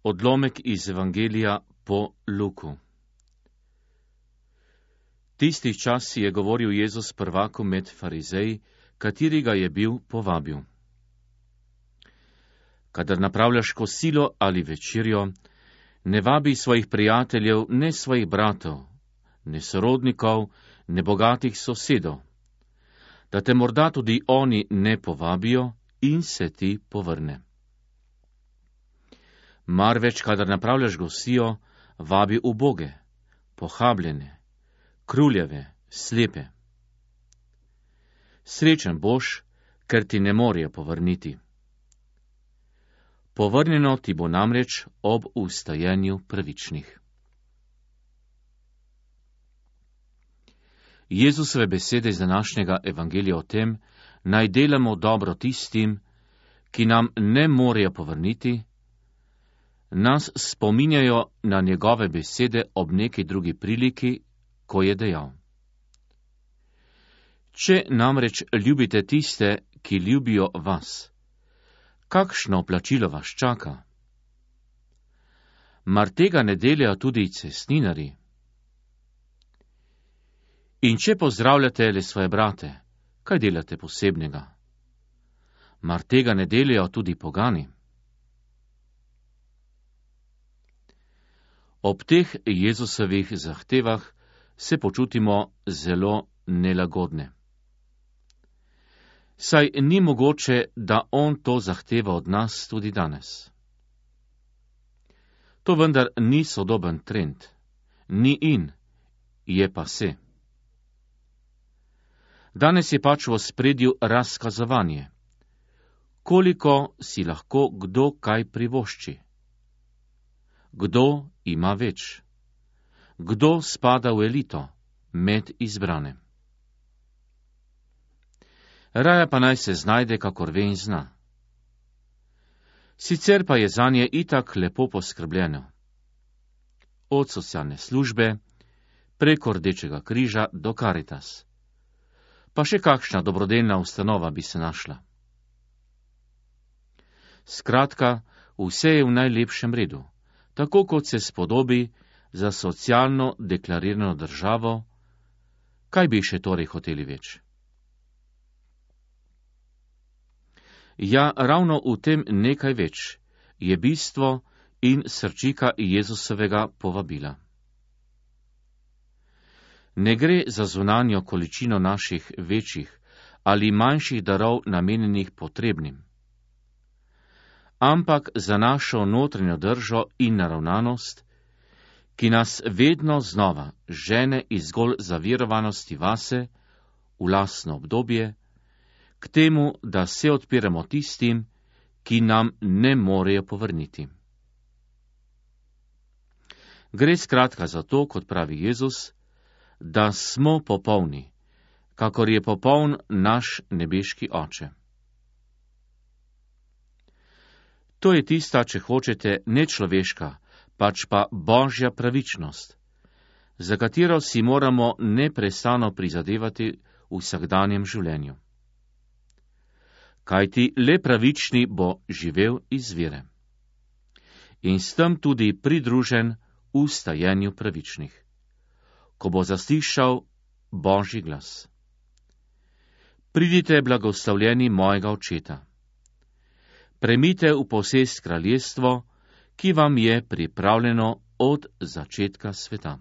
Odlomek iz Evangelija po Luku. Tisti čas je govoril Jezus prvaku med farizeji, kateri ga je bil povabil. Kadar napravljaš kosilo ali večerjo, ne vabi svojih prijateljev, ne svojih bratov, ne sorodnikov, ne bogatih sosedov, da te morda tudi oni ne povabijo in se ti povrne. Marveč, kadar napravljaš gosijo, vabi uboge, pohabljene, kruljeve, slepe. Srečen boš, ker ti ne morejo povrniti. Povrnjeno ti bo namreč ob ustajenju pravičnih. Jezusove besede iz današnjega evangelija o tem, naj delamo dobro tistim, ki nam ne morejo povrniti, nas spominjajo na njegove besede ob neki drugi priliki, ko je dejal: Če namreč ljubite tiste, ki ljubijo vas, kakšno plačilo vas čaka? Mar tega ne delajo tudi cestninarji? In če pozdravljate le svoje brate, kaj delate posebnega? Mar tega ne delajo tudi pogani? Ob teh Jezusovih zahtevah se počutimo zelo nelagodne. Saj ni mogoče, da on to zahteva od nas tudi danes. To vendar ni sodoben trend, ni in, je pa se. Danes je pač v ospredju razkazovanje, koliko si lahko kdo kaj privošči. Kdo ima več? Kdo spada v elito, med izbrane? Raja pa naj se znajde, kakor ve in zna. Sicer pa je zanje itak lepo poskrbljeno. Od socialne službe, preko Rdečega križa do Karitas. Pa še kakšna dobrodelna ustanova bi se našla. Skratka, vse je v najlepšem redu, tako kot se spodobi za socialno deklarirano državo, kaj bi še torej hoteli več? Ja, ravno v tem nekaj več je bistvo in srčika Jezusovega povabila. Ne gre za zunanjo količino naših večjih ali manjših darov namenjenih potrebnim, ampak za našo notranjo držo in naravnanost, ki nas vedno znova žene iz zgolj zaverovanosti vase v lastno obdobje, k temu, da se odpiramo tistim, ki nam ne morejo povrniti. Gre skratka za to, kot pravi Jezus, da smo popolni, kakor je popoln naš nebeški Oče. To je tista, če hočete, ne človeška, pač pa božja pravičnost, za katero si moramo neprestano prizadevati v vsakdanjem življenju. Kajti le pravični bo živel iz vere in s tem tudi pridružen ustajenju pravičnih, ko bo zaslišal Božji glas. Pridite, blagoslavljeni mojega Očeta. Premite v posest kraljestvo, ki vam je pripravljeno od začetka sveta.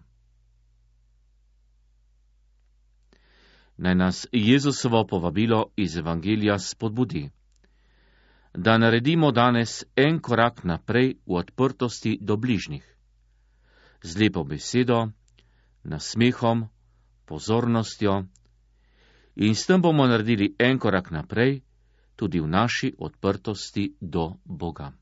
Naj nas Jezusovo povabilo iz Evangelija spodbudi, da naredimo danes en korak naprej v odprtosti do bližnjih, z lepo besedo, nasmehom, pozornostjo, in s tem bomo naredili en korak naprej tudi v naši odprtosti do Boga.